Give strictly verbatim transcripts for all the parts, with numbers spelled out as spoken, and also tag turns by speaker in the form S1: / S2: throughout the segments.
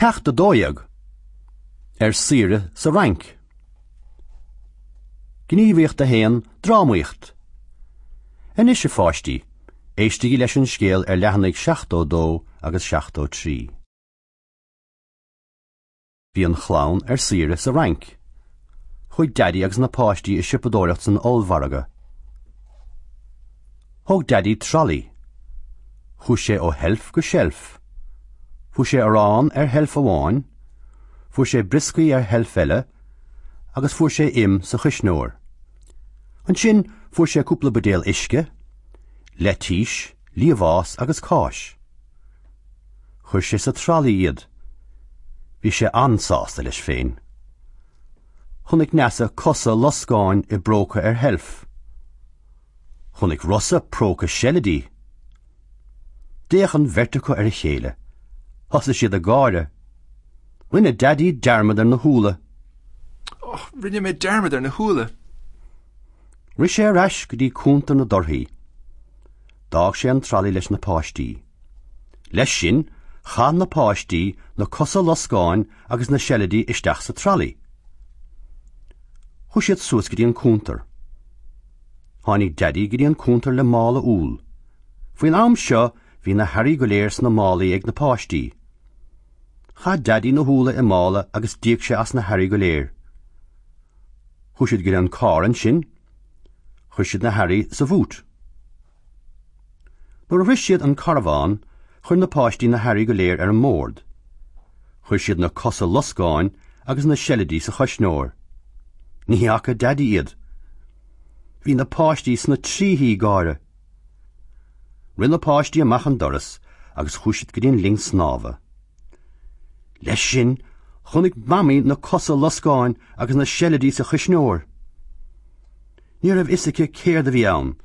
S1: Ceacht a dó dhéag. Ar saoire sa Fhrainc. Gníomhaíocht a haon, drámaíocht. Anois a pháistí, éistigí leis an scéal ar leathanaigh seachtó dó agus seachtó trí. Bhí an chlann ar saoire sa Fhrainc. Chuaigh Daidí agus na páistí ag siopadóireacht san ollmhargadh. Thóg Daidí tralaí. Chuaigh sé ó sheilf go seilf. Fuair sé arán ar sheilf amháin, fuair sé brioscaí ar sheilf eile, agus fuair sé im sa chuisneoir. Ansin fuair sé cúpla buidéal uisce, leitís, liamhás agus cáis. Chuir sé sa tralaí iad. Bhí sé an-sásta leis féin. Chonaic Neasa cosa loscáin i bpróca ar sheilf. Chonaic Rosa próca seilidí. D'fhéach an bheirt acu ar a chéile. Thosaigh siad ag gáire. Rinne Daidí dearmad ar na húlla.
S2: Oh, rinne mé dearmad ar na húlla.
S1: Rith sé ar ais go dtí cuntar na dtorthaí. D'fhág sé an tralaí leis na páistí. Leis sin, chaith na páistí na cosa loscáin agus na seilidí isteach sa tralaí. Chuaigh siad suas go dtí an cuntar. Tháinig Daidí go dtí an cuntar le mála úll. Faoin am seo bhí na hearraí go léir sna málaí ag na páistí. Chaith Daidí na húlla i mála agus d'íoc sé as na hearraí go léir. Chuaigh siad go dtí an carr ansin, chuir siad na hearraí sa bhúit. Nuair a shroich siad an carbhán, chuir na páistí na hearraí go léir ar an mbord. Chuir siad na cosa loscáin agus na seilidí sa chuisneoir. Ní fhaca Daidí iad. Bhí na páistí sna trithí gáire. Rith na páistí amach an doras agus chuaigh siad go dtí an linn snámha. Leis sin, chonaic Mamaí na cosa loscáin agus na seilidí sa chuisneoir. Ní raibh a fhios aici céard a bhí ann.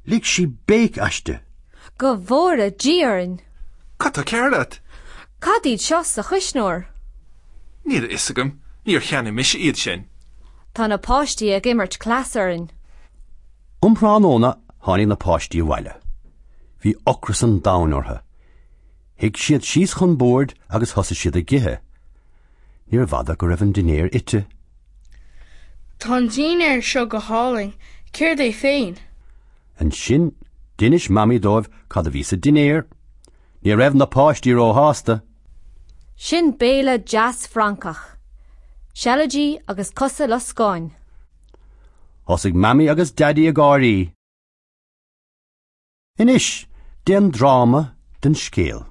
S1: Lig sí béic aisti.
S3: Go bhfóire Dia orainn.
S2: Cad tá cearr leat?
S3: Cad iad seo sa chuisneoir?
S2: Níl a fhios agam, níor cheannaigh mise iad sin.
S3: Tá na páistí ag imirt cleas orainn.
S1: Um thráthnóna tháinig na páistí abhaile. Bhí ocras an domhain orthu. Shuigh siad síos chun boird agus thosaigh siad ag ithe. Níorbh fhada go raibh an dinnéar ite.
S4: Tá an dinnéar seo go hálainn, céard é féin?
S1: Ansin d'inis Mamaí dóibh cad a bhí sa dinnéar. Ní raibh na páistí róshásta.
S3: Sin béile deas Francach. Seilidí agus cosa loscáin.
S1: Thosaigh Mamaí agus Daidí ag gáirí. Anois, déan dráma den scéal.